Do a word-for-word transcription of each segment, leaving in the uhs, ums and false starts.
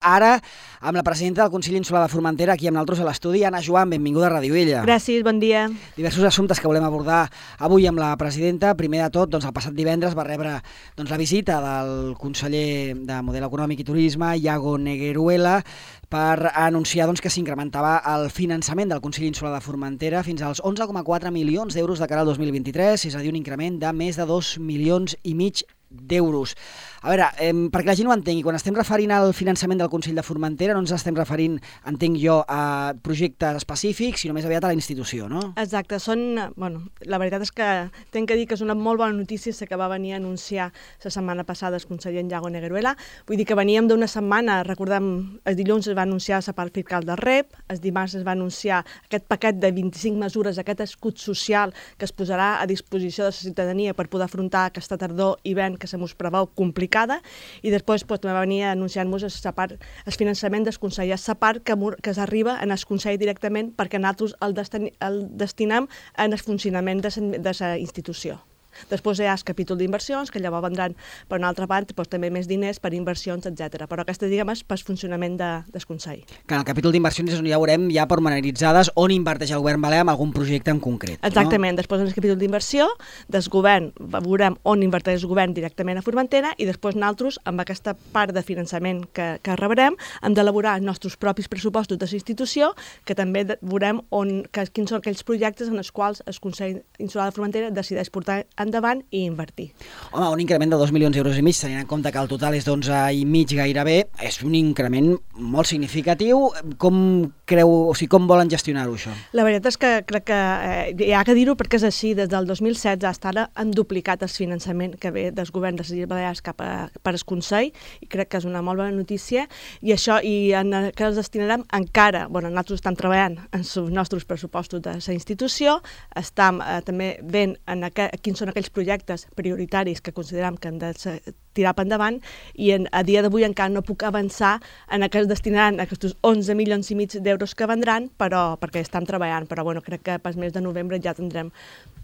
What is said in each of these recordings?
Ara, amb la presidenta del Consell Insular de Formentera, aquí amb nosaltres a l'estudi, Anna Joan, benvinguda a Ràdio Illa. Gràcies, bon dia. Diversos assumptes que volem abordar avui amb la presidenta. Primer de tot, doncs, el passat divendres va rebre doncs, la visita del conseller de Model Econòmic i Turisme, Iago Negueruela, per anunciar doncs, que s'incrementava el finançament del Consell Insular de Formentera fins als onze coma quatre milions d'euros de cara al dos mil vint-i-tres, és a dir, un increment de més de dos milions i mig d'euros. A veure, eh, perquè la gent ho entengui, quan estem referint al finançament del Consell de Formentera no ens estem referint, entenc jo, a projectes específics, sinó més aviat a la institució, no? Exacte, són, bueno, la veritat és que tinc que dir que és una molt bona notícia que va venir a anunciar la setmana passada el conseller Iago Negueruela. Vull dir que veníem d'una setmana, recordem, el dilluns es va anunciar la part fiscal del R E P, el dimarts es va anunciar aquest paquet de vint-i-cinc mesures, aquest escut social que es posarà a disposició de la ciutadania per poder afrontar aquesta tardor i hivern que se mos preveu complicada, i després pues, va venir anunciant-nos el finançament del Consell, la part que, que s'arriba en el Consell directament perquè nosaltres el, destin, el destinem en el funcionament de la institució. Després hi ha el capítol d'inversions, que llavors vendran per una altra part doncs, també més diners per inversions, etcètera. Però aquesta, diguem, és per funcionament de, del Consell. Que en el capítol d'inversions és on ja veurem ja pormenoritzades on inverteix el govern balear en algun projecte en concret. Exactament. No? Després en el capítol d'inversió del govern veurem on inverteix el govern directament a Formentera i després nosaltres, amb aquesta part de finançament que, que rebrem, hem d'elaborar els nostres propis pressupostos de la institució, que també veurem on, que, quins són aquells projectes en els quals el Consell Insular de Formentera decideix portar endavant i invertir. Home, un increment de dos milions d'euros i mig, tenint en compte que el total és d'onze i mig gairebé, és un increment molt significatiu. Com creu, o sigui, com volen gestionar-ho, això? La veritat és que crec que eh, hi ha que dir-ho perquè és així. Des del dos mil setze fins ara han duplicat el finançament que ve del govern de les Illes Balears cap a, per al Consell, i crec que és una molt bona notícia, i això, i en què els destinarem encara, bueno, nosaltres estem treballant en els nostres pressupostos de la institució, estem eh, també veient en aqu quins són aquells projectes prioritaris que considerem que han de tirar per endavant, i en, a dia d'avui encara no puc avançar en què es destinaran aquests onze milions i mig d'euros que vendran, però perquè estan treballant, però bueno, crec que per mes de novembre ja tindrem,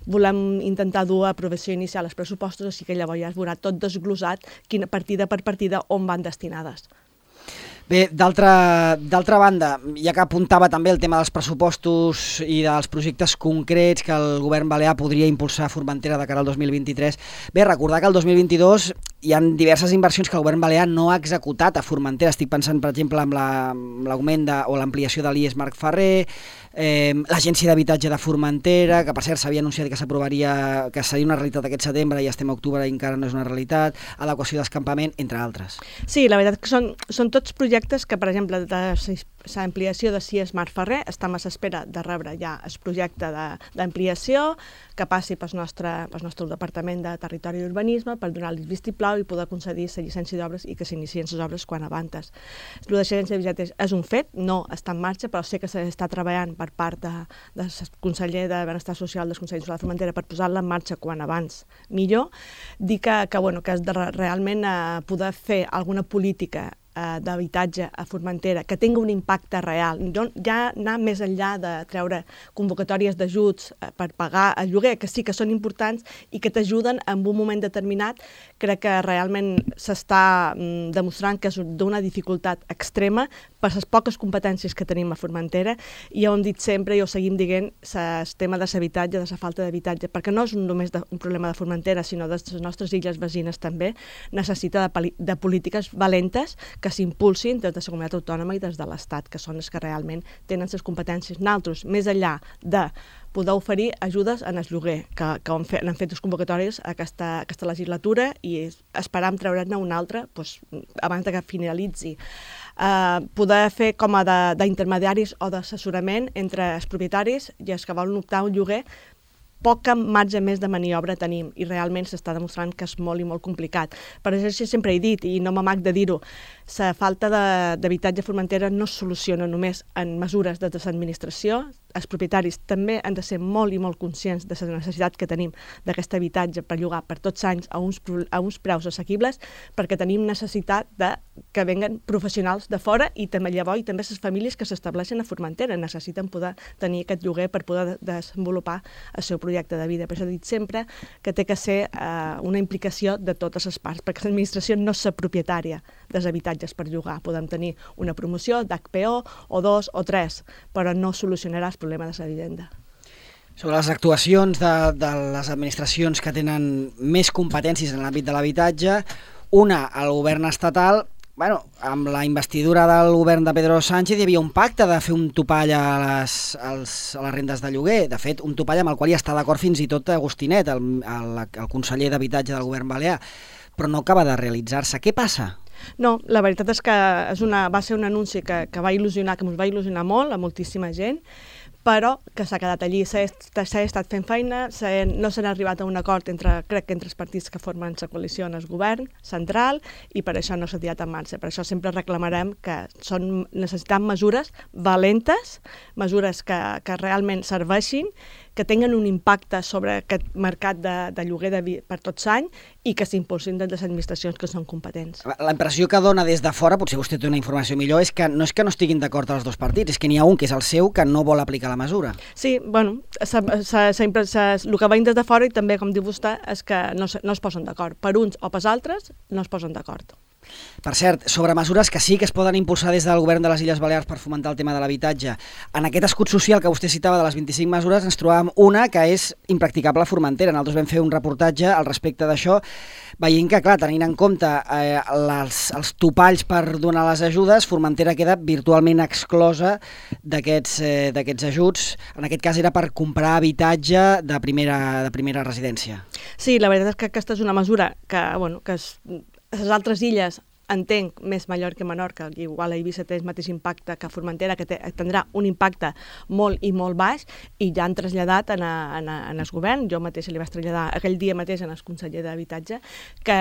volem intentar dur a aprovació inicial els pressupostos, així que llavors ja es veurà tot desglosat, quina partida per partida on van destinades. Bé, d'altra banda, ja que apuntava també el tema dels pressupostos i dels projectes concrets que el govern balear podria impulsar a Formentera de cara al dos mil vint-i-tres, bé, recordar que el dos mil vint-i-dos hi ha diverses inversions que el govern balear no ha executat a Formentera. Estic pensant, per exemple, en l'augment la, o l'ampliació de l'I E S Marc Ferrer, eh, l'Agència d'Habitatge de Formentera, que per cert s'havia anunciat que s'aprovaria, que seria una realitat aquest setembre, i estem a octubre i encara no és una realitat, adequació d'escampament, entre altres. Sí, la veritat que són, són tots projectes que, per exemple, de l'ampliació de C I E S Marc Ferrer, estem a l'espera de rebre ja el projecte d'ampliació que passi pel nostre, pel nostre Departament de Territori i Urbanisme per donar-li el vistiplau i poder concedir la llicència d'obres i que s'inicien les obres quan abans. El de l'agència d'habitatge és un fet, no està en marxa, però sé que s'està treballant per part de, del conseller de Benestar Social del Consell Insular de Formentera per posar-la en marxa quan abans millor. Dir que, que, bueno, que és de realment eh, poder fer alguna política d'habitatge a Formentera que tingui un impacte real, ja anar més enllà de treure convocatòries d'ajuts per pagar el lloguer, que sí que són importants i que t'ajuden en un moment determinat. Crec que realment s'està demostrant que és d'una dificultat extrema per les poques competències que tenim a Formentera, i ja ho hem dit sempre i ho seguim dient, el tema de l'habitatge, de la falta d'habitatge, perquè no és només un problema de Formentera, sinó de les nostres illes veïnes també, necessita de, de polítiques valentes que s'impulsin des de la comunitat autònoma i des de l'Estat, que són els que realment tenen les competències. Nosaltres, més enllà de poder oferir ajudes en el lloguer, que, que han fet, han fet les convocatòries aquesta, aquesta legislatura, i esperam treure'n una altra doncs, abans que finalitzi. Uh, poder fer com a d'intermediaris o d'assessorament entre els propietaris i els que volen optar a un lloguer. Poca marge més de maniobra tenim i realment s'està demostrant que és molt i molt complicat. Per això sempre he dit, i no m'amac de dir-ho, la falta d'habitatge a Formentera no es soluciona només en mesures de l'administració. Els propietaris també han de ser molt i molt conscients de la necessitat que tenim d'aquest habitatge per llogar per tots anys a uns, a uns preus assequibles, perquè tenim necessitat de que venguen professionals de fora, i també llavors i també les famílies que s'estableixen a Formentera necessiten poder tenir aquest lloguer per poder desenvolupar el seu projecte de vida. Per això he dit sempre que té que ser eh, una implicació de totes les parts, perquè l'administració no és la propietària dels habitatges per llogar. Podem tenir una promoció d'H P O o dos o tres, però no solucionarà el problema de la vivenda. Sobre les actuacions de, de les administracions que tenen més competències en l'àmbit de l'habitatge, una, el govern estatal. Bueno, amb la investidura del govern de Pedro Sánchez hi havia un pacte de fer un topall a les, als, a les rendes de lloguer. De fet, un topall amb el qual hi està d'acord fins i tot Agustinet, el, el, el conseller d'Habitatge del govern balear, però no acaba de realitzar-se. Què passa? No, la veritat és que és una, va ser un anunci que, que va il·lusionar, que ens va il·lusionar molt a moltíssima gent, però que s'ha quedat allí, s'ha estat fent feina, no s'ha arribat a un acord entre, crec que entre els partits que formen la coalició en el govern central, i per això no s'ha tirat en marxa. Per això sempre reclamarem que són, necessitem mesures valentes, mesures que, que realment serveixin, que tinguen un impacte sobre aquest mercat de, de lloguer de, per tots anys i que s'impulsin des de les administracions que són competents. La impressió que dona des de fora, potser vostè té una informació millor, és que no és que no estiguin d'acord els dos partits, és que n'hi ha un, que és el seu, que no vol aplicar la mesura. Sí, bueno, sa, sa, sa, sa, el que veiem des de fora i també, com diu vostè, és que no, no es posen d'acord. Per uns o per altres no es posen d'acord. Per cert, sobre mesures que sí que es poden impulsar des del govern de les Illes Balears per fomentar el tema de l'habitatge, en aquest escut social que vostè citava de les vint-i-cinc mesures ens trobàvem una que és impracticable a Formentera. Nosaltres vam fer un reportatge al respecte d'això, veient que, clar, tenint en compte eh, les, els topalls per donar les ajudes, Formentera queda virtualment exclosa d'aquests eh, d'aquests ajuts. En aquest cas era per comprar habitatge de primera, de primera residència. Sí, la veritat és que aquesta és una mesura que, bueno, que és... les altres illes, entenc, més Mallorca i Menorca, igual a Eivissa té el mateix impacte que Formentera, que té, tindrà un impacte molt i molt baix, i ja han traslladat en, a, en, a, en el govern. Jo mateixa li vaig traslladar aquell dia mateix en el conseller d'Habitatge que,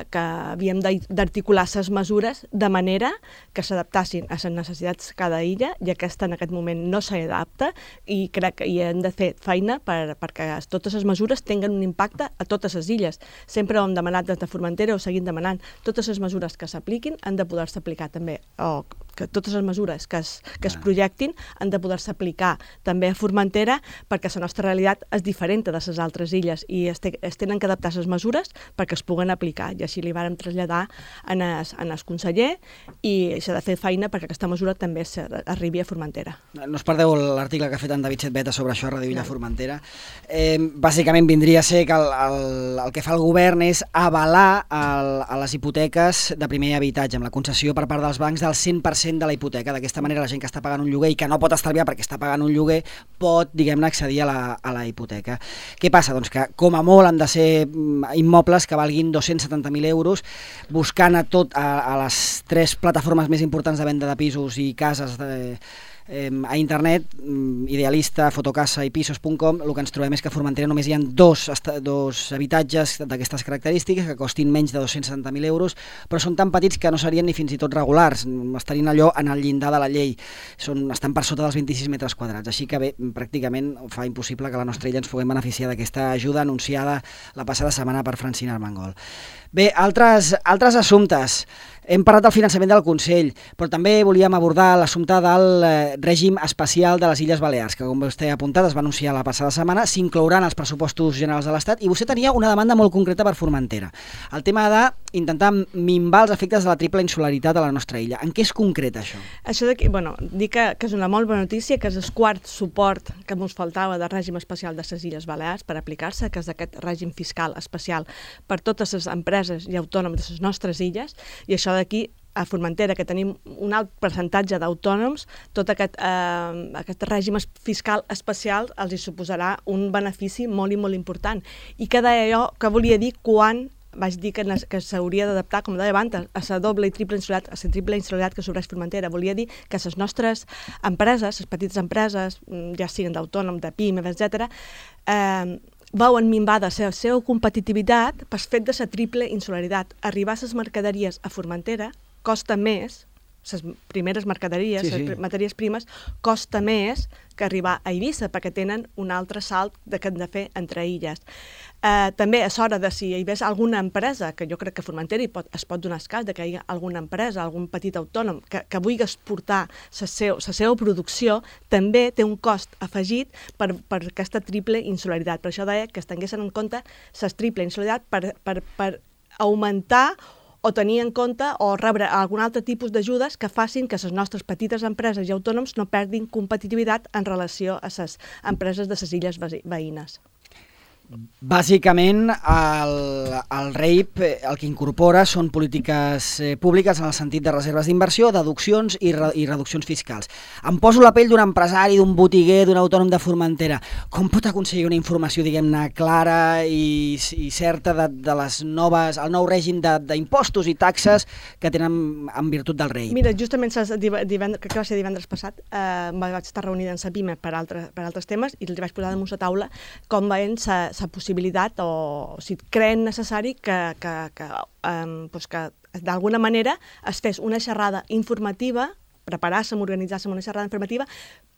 que havíem d'articular les mesures de manera que s'adaptassin a les necessitats de cada illa, i aquesta en aquest moment no s'adapta, i crec que hi hem de fer feina per, perquè totes les mesures tinguen un impacte a totes les illes. Sempre ho hem demanat des de Formentera, ho seguim demanant. Totes les mesures que s'apliquin han de poder-se aplicar també, o que totes les mesures que es, que es projectin han de poder-se aplicar també a Formentera, perquè la nostra realitat és diferent de les altres illes i es, te, es tenen que adaptar les mesures perquè es puguen aplicar, i així li vàrem traslladar en el, en el conseller, i s'ha de fer feina perquè aquesta mesura també arribi a Formentera. No us perdeu l'article que ha fet en David Setbeta sobre això a Ràdio Villa Formentera. Eh, bàsicament vindria a ser que el, el, el que fa el govern és avalar el, a les hipoteques de primer habitatge, amb la concessió per part dels bancs del cent per cent de la hipoteca. D'aquesta manera la gent que està pagant un lloguer i que no pot estalviar perquè està pagant un lloguer pot, diguem-ne, accedir a la, a la hipoteca. Què passa? Doncs que com a molt han de ser immobles que valguin dos-cents setanta mil euros, buscant a tot a, a les tres plataformes més importants de venda de pisos i cases de, eh, a internet, Idealista, Fotocasa i Pisos punt com, el que ens trobem és que a Formentera només hi ha dos, dos habitatges d'aquestes característiques que costin menys de dos-cents setanta mil euros, però són tan petits que no serien ni fins i tot regulars, estarien allò en el llindar de la llei, són, estan per sota dels vint-i-sis metres quadrats, així que bé, pràcticament fa impossible que la nostra illa ens puguem beneficiar d'aquesta ajuda anunciada la passada setmana per Francina Armengol. Bé, altres, altres assumptes. Hem parlat del finançament del Consell, però també volíem abordar l'assumpte del règim especial de les Illes Balears, que com vostè ha apuntat es va anunciar la passada setmana, s'inclouran als pressupostos generals de l'Estat, i vostè tenia una demanda molt concreta per Formentera. El tema d'intentar minvar els efectes de la triple insularitat a la nostra illa. En què és concret això? Això d'aquí, bueno, dic que, que és una molt bona notícia, que és el quart suport que ens faltava del règim especial de les Illes Balears per aplicar-se, que és aquest règim fiscal especial per totes les empreses i autònoms de les nostres illes, i això d'aquí a Formentera, que tenim un alt percentatge d'autònoms, tot aquest, eh, aquest règim fiscal especial els hi suposarà un benefici molt i molt important. I que deia jo que volia dir quan vaig dir que, que s'hauria d'adaptar, com deia abans, a la doble i triple insularitat, a la triple insularitat que s'obreix Formentera. Volia dir que les nostres empreses, les petites empreses, ja siguin d'autònom, de pimes, etcètera, eh, veuen minvada la seva competitivitat pel fet de la triple insularitat. Arribar a les mercaderies a Formentera costa més les primeres mercaderies, sí, les sí. matèries primes, costa més que arribar a Eivissa, perquè tenen un altre salt de que han de fer entre illes. Eh, també és hora de si hi hagués alguna empresa, que jo crec que Formentera pot, es pot donar el cas de que hi ha alguna empresa, algun petit autònom, que, que vulgui exportar la seu, la seva producció, també té un cost afegit per, per aquesta triple insularitat. Per això deia que es tinguessin en compte la triple insularitat per, per, per augmentar o tenir en compte o rebre algun altre tipus d'ajudes que facin que les nostres petites empreses i autònoms no perdin competitivitat en relació a les empreses de les illes veïnes. Bàsicament, el, el R E I P el que incorpora són polítiques eh, públiques en el sentit de reserves d'inversió, deduccions i, re, i reduccions fiscals. Em poso la pell d'un empresari, d'un botiguer, d'un autònom de Formentera. Com pot aconseguir una informació, diguem-ne, clara i, i certa de, de les noves, el nou règim d'impostos i taxes que tenen en virtut del R E I P? Mira, justament divendres, que va ser divendres passat, eh, vaig estar reunida en la PIME per, altre, per altres temes i els vaig posar damunt la taula com veien sa la possibilitat o, o si creen necessari que, que, que, um, pues que d'alguna manera es fes una xerrada informativa, preparar-se, organitzar-se una xerrada informativa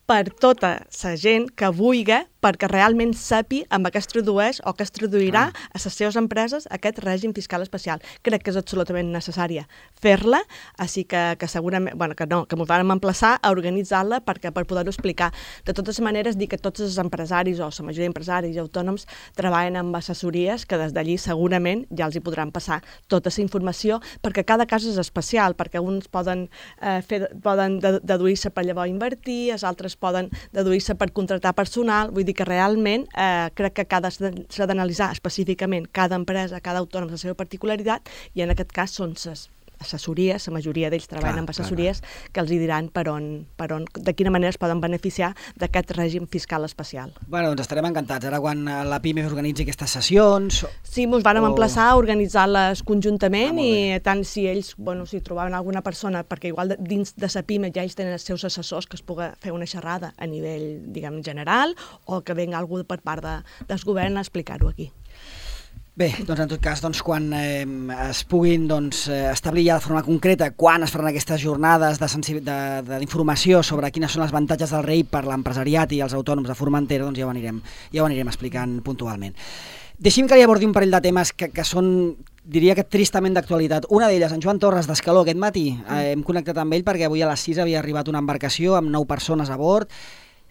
per tota la gent que vulgui, perquè realment sapi amb què es tradueix o què es traduirà ah. a les seves empreses aquest règim fiscal especial. Crec que és absolutament necessària fer-la, així que, que segurament, bueno, que no, que ens vam emplaçar a organitzar-la perquè per poder-ho explicar. De totes maneres, dir que tots els empresaris o la majoria d'empresaris i autònoms treballen amb assessories que des d'allí segurament ja els hi podran passar tota la informació, perquè cada cas és especial, perquè uns poden, eh, fer, poden deduir-se per llavors invertir, els altres poden deduir-se per contractar personal, vull dir que realment eh, crec que cada s'ha d'analitzar específicament cada empresa, cada autònom la seva particularitat i en aquest cas són les assessories, la majoria d'ells treballen clar, amb assessories clar, clar. que els hi diran per on, per on, de quina manera es poden beneficiar d'aquest règim fiscal especial. Bueno, doncs estarem encantats. Ara quan la PIME organitzi aquestes sessions... Sí, ens van o... emplaçar a organitzar-les conjuntament ah, i tant si ells, bueno, si trobaven alguna persona, perquè igual de, dins de la PIME ja ells tenen els seus assessors que es pugui fer una xerrada a nivell, diguem, general o que venga algú per part de, del govern a explicar-ho aquí. Bé, doncs en tot cas, doncs, quan eh, es puguin doncs, establir ja de forma concreta quan es faran aquestes jornades d'informació sobre quines són els avantatges del R E I P per l'empresariat i els autònoms de Formentera, doncs ja ho anirem, ja ho anirem explicant puntualment. Deixi'm que li abordi un parell de temes que, que són, diria que tristament d'actualitat. Una d'elles, en Joan Torres d'Escaló, aquest matí eh, hem connectat amb ell perquè avui a les sis havia arribat una embarcació amb nou persones a bord,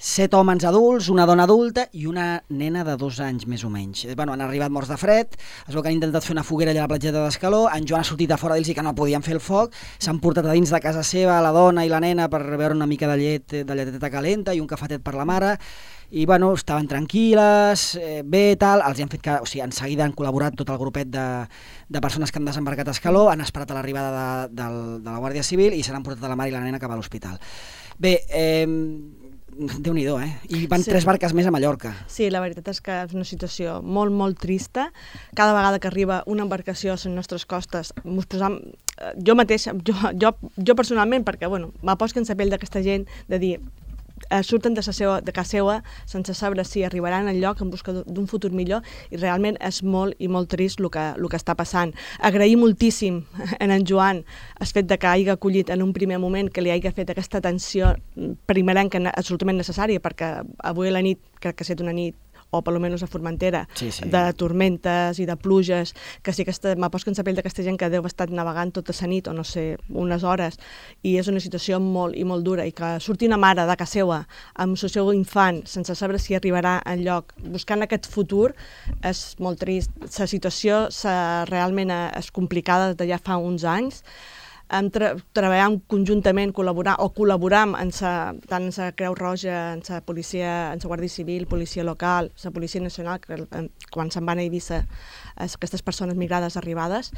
set homes adults, una dona adulta i una nena de dos anys més o menys. Bueno, han arribat morts de fred, es veu que han intentat fer una foguera allà a la platgeta d'Escaló, en Joan ha sortit a fora d'ells i que no podien fer el foc, s'han portat a dins de casa seva la dona i la nena per beure una mica de llet, de lleteta calenta i un cafetet per la mare, i bueno, estaven tranquil·les, eh, bé, tal, els han fet que, o sigui, en seguida han col·laborat tot el grupet de, de persones que han desembarcat a Escaló, han esperat a l'arribada de, de, de la Guàrdia Civil i se n'han portat a la mare i la nena cap a l'hospital. Bé, eh, Déu-n'hi-do, eh? I van sí. tres barques més a Mallorca. Sí, la veritat és que és una situació molt, molt trista. Cada vegada que arriba una embarcació a les nostres costes, posam, jo mateixa, jo, jo, jo personalment, perquè bueno, m'aposto en la pell d'aquesta gent de dir eh, surten de, seva, de casa seva sense saber si arribaran al lloc en busca d'un futur millor i realment és molt i molt trist el que, el que està passant. Agrair moltíssim en en Joan el fet de que hagi acollit en un primer moment que li hagi fet aquesta atenció primerenca absolutament necessària perquè avui a la nit crec que ha estat una nit o per almenys a Formentera, sí, sí. de tormentes i de pluges, que sí que m'aposto en la pell d'aquesta gent que deu estar navegant tota la nit o no sé, unes hores, i és una situació molt i molt dura, i que surti una mare de casa seva amb el seu infant sense saber si arribarà enlloc, buscant aquest futur, és molt trist. La situació realment és complicada des de ja fa uns anys. Hem tra treballat conjuntament, col·laborar o col·laboram en sa, tant en la Creu Roja, en la policia, en la Guàrdia Civil, policia local, la Policia Nacional, que quan se'n van a Eivissa aquestes persones migrades arribades,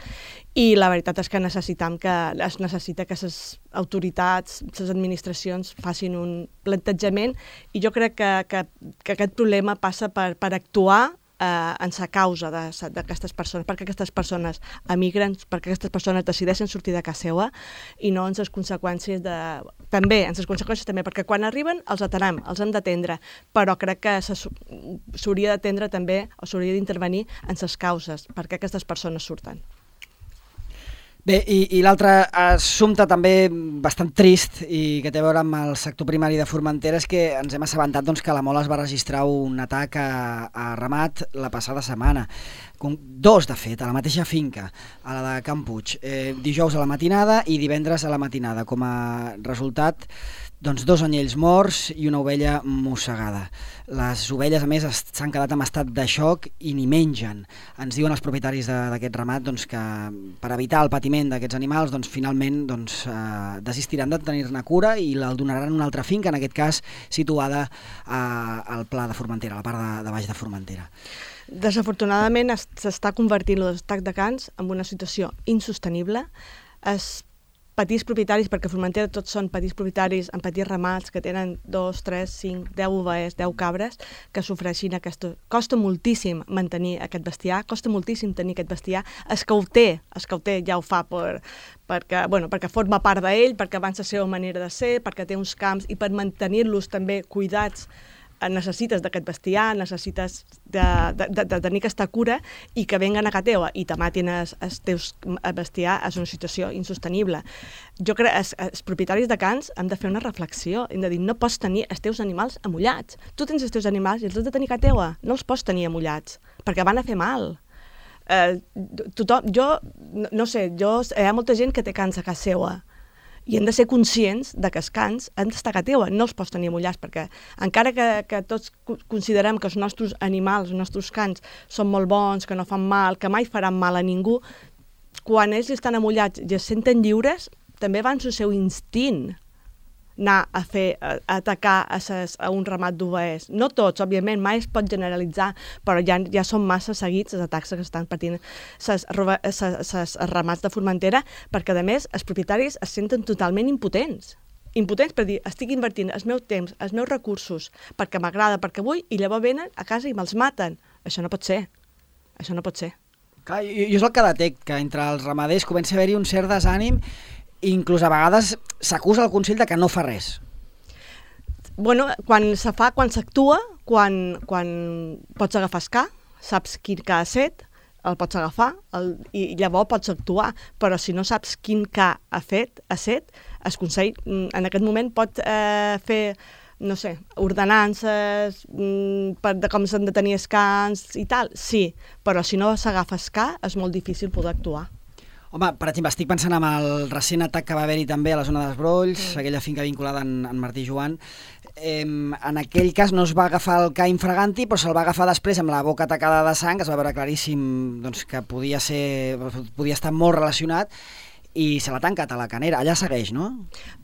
i la veritat és que necessitam que es necessita que les autoritats, les administracions facin un plantejament, i jo crec que, que, que aquest problema passa per, per actuar Eh, en la causa d'aquestes persones, perquè aquestes persones emigren, perquè aquestes persones decideixen sortir de casa seva i no en les conseqüències de... també, en les conseqüències també, perquè quan arriben els atenem, els hem d'atendre, però crec que s'hauria d'atendre també, o s'hauria d'intervenir en les causes, perquè aquestes persones surten. Bé, i, i l'altre assumpte també bastant trist i que té a veure amb el sector primari de Formentera és que ens hem assabentat doncs, que la Mola es va registrar un atac a, a ramat la passada setmana. Com dos, de fet, a la mateixa finca, a la de Can Puig. Eh, dijous a la matinada i divendres a la matinada. Com a resultat, doncs, dos anyells morts i una ovella mossegada. Les ovelles, a més, s'han quedat en estat de xoc i ni mengen. Ens diuen els propietaris d'aquest ramat doncs, que per evitar el patiment d'aquests animals, doncs, finalment doncs, eh, desistiran de tenir-ne cura i el donaran a una altra finca, en aquest cas situada a, al Pla de Formentera, a la part de, de baix de Formentera. Desafortunadament s'està convertint l'atac de cans en una situació insostenible. Els petits propietaris, perquè a Formentera tots són petits propietaris amb petits ramats que tenen dos, tres, cinc, deu ovelles, deu cabres, que sofreixin aquesta... Costa moltíssim mantenir aquest bestiar, costa moltíssim tenir aquest bestiar. Es que ho té, es que ho té ja ho fa per, perquè, bueno, perquè forma part d'ell, perquè abans la seva manera de ser, perquè té uns camps i per mantenir-los també cuidats necessites d'aquest bestiar, necessites de, de, de, de tenir aquesta cura i que venguen a casa teva i te matin els, els teus bestiar és una situació insostenible. Jo crec que els, els propietaris de cans hem de fer una reflexió, hem de dir, no pots tenir els teus animals amullats. Tu tens els teus animals i els has de tenir a casa teva, no els pots tenir amullats, perquè van a fer mal. Eh, tothom, jo, no, no sé, jo, hi ha molta gent que té cans a casa seva, i hem de ser conscients de que els cans han d'estar a casa teva, no els pots tenir amullats, perquè encara que, que tots considerem que els nostres animals, els nostres cans, són molt bons, que no fan mal, que mai faran mal a ningú, quan ells estan amullats i es senten lliures, també van el seu instint anar a fer, a, a atacar a, ses, a un ramat d'ovelles. No tots, òbviament, mai es pot generalitzar, però ja, ja són massa seguits els atacs que estan patint ses, ses, ses ramats de Formentera, perquè, a més, els propietaris es senten totalment impotents. Impotents per dir, estic invertint el meu temps, els meus recursos, perquè m'agrada, perquè vull, i llavors venen a casa i me'ls maten. Això no pot ser. Això no pot ser. Clar, jo, jo és el que detec, que entre els ramaders comença a haver-hi un cert desànim. Inclús a vegades s'acusa el Consell de que no fa res. Bueno, quan se fa, quan s'actua, quan, quan pots agafar el ca, saps quin ca ha set, el pots agafar el, i llavors pots actuar, però si no saps quin ca ha fet, ha set, el Consell en aquest moment pot eh, fer, no sé, ordenances mm, per, de com s'han de tenir els cans i tal, sí, però si no s'agafa el ca és molt difícil poder actuar. Home, per exemple, estic pensant en el recent atac que va haver-hi també a la zona dels Brolls, mm. aquella finca vinculada en, en Martí Joan. Eh, en aquell cas no es va agafar el ca infraganti, però se'l va agafar després amb la boca tacada de sang, es va veure claríssim doncs, que podia, ser, podia estar molt relacionat, i se l'ha tancat a la canera. Allà segueix, no?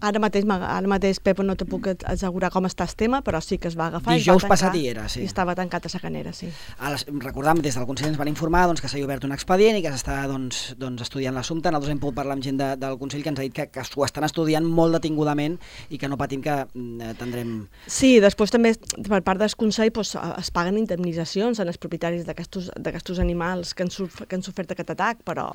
Ara mateix, ara mateix Pep, no te puc assegurar com està el tema, però sí que es va agafar. Dijous i passat hi era, sí. I estava tancat a la canera, sí. Les, recordam, des del Consell ens van informar doncs, que s'ha obert un expedient i que s'està doncs, doncs, estudiant l'assumpte. Nosaltres hem pogut parlar amb gent de, del Consell que ens ha dit que, que ho estan estudiant molt detingudament i que no patim que eh, tindrem... Sí, després també per part del Consell doncs, es paguen indemnitzacions als propietaris d'aquests animals que han, que han sofert aquest atac, però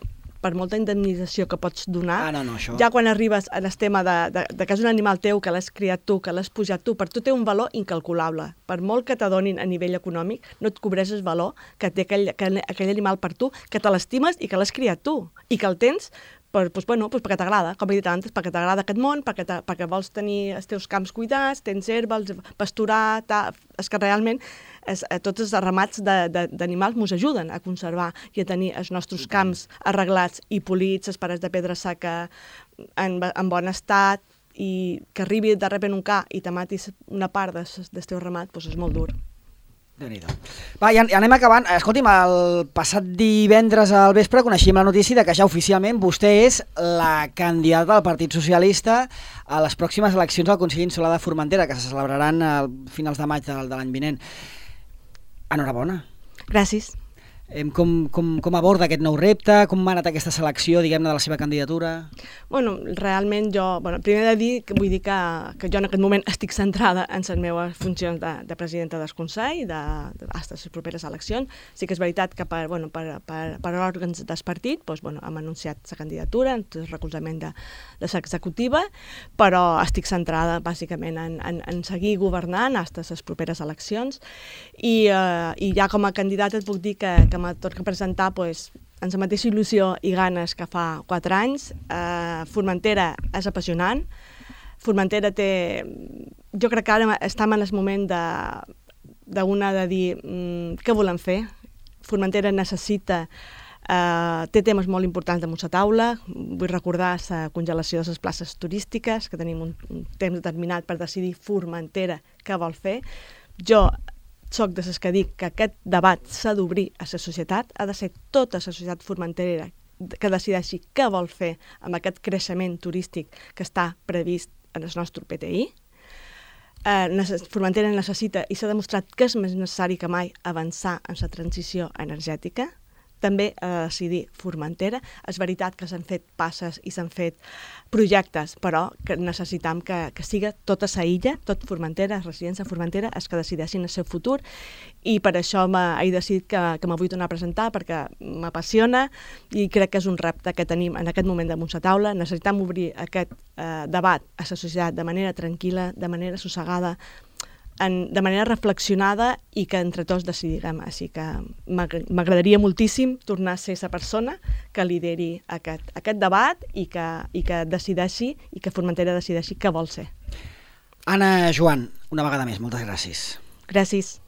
per molta indemnització que pots donar, ah, no, no, això... ja quan arribes al tema de, de, de que és un animal teu, que l'has criat tu, que l'has pujat tu, per tu té un valor incalculable. Per molt que t'adonin a nivell econòmic, no et cobreix el valor que té aquell, aquell, aquell animal per tu, que te l'estimes i que l'has criat tu, i que el tens per, pues, bueno, pues perquè t'agrada, com he dit abans, perquè t'agrada aquest món, perquè, perquè vols tenir els teus camps cuidats, tens herba, pasturar, ta... és que realment és, tots els ramats d'animals ens ajuden a conservar i a tenir els nostres camps arreglats i polits, les parets de pedra seca en, en bon estat, i que arribi de repent un ca i te matis una part del, del teu ramat, doncs és molt dur. Déu-n'hi-do. Va, ja, ja anem acabant. Escolti'm, el passat divendres al vespre coneixíem la notícia de que ja oficialment vostè és la candidata del Partit Socialista a les pròximes eleccions al Consell Insular de Formentera, que se celebraran a finals de maig de, de l'any vinent. Enhorabona. Gràcies. Com, com, com aborda aquest nou repte? Com ha anat aquesta selecció, diguem-ne, de la seva candidatura? Bueno, realment jo, bueno, primer de dir, que vull dir que, que jo en aquest moment estic centrada en les meves funcions de, de presidenta del Consell, de, de, fins les properes eleccions. Sí que és veritat que per, bueno, per, per, per òrgans del partit doncs, bueno, hem anunciat la candidatura, el recolzament de, de l'executiva, però estic centrada bàsicament en, en, en seguir governant fins les properes eleccions, i, eh, i ja com a candidata et puc dir que, que me torna a presentar doncs, amb la mateixa il·lusió i ganes que fa quatre anys. Eh, Formentera és apassionant. Formentera té... Jo crec que ara estem en el moment de, d'una de dir mm, què volem fer. Formentera necessita... Uh, té temes molt importants damunt la taula. Vull recordar la congelació de les places turístiques, que tenim un, un temps determinat per decidir Formentera què vol fer. Jo soc de les que dic que aquest debat s'ha d'obrir a la societat, ha de ser tota la societat formentera que decideixi què vol fer amb aquest creixement turístic que està previst en el nostre P T I. Uh, Formentera necessita, i s'ha demostrat que és més necessari que mai, avançar en la transició energètica. També a uh, decidir Formentera. És veritat que s'han fet passes i s'han fet projectes, però que necessitam que, que siga tota la illa, tot Formentera, residència Formentera, és que decideixin el seu futur, i per això he decidit que, que me vull tornar a presentar, perquè m'apassiona i crec que és un repte que tenim en aquest moment damunt la taula. Necessitam obrir aquest eh, debat a la societat de manera tranquil·la, de manera assossegada, En, de manera reflexionada, i que entre tots decidirem. Així que m'agradaria moltíssim tornar a ser la persona que lideri aquest, aquest debat i que, i que decideixi, i que Formentera decideixi què vol ser. Anna Joan, una vegada més, moltes gràcies. Gràcies.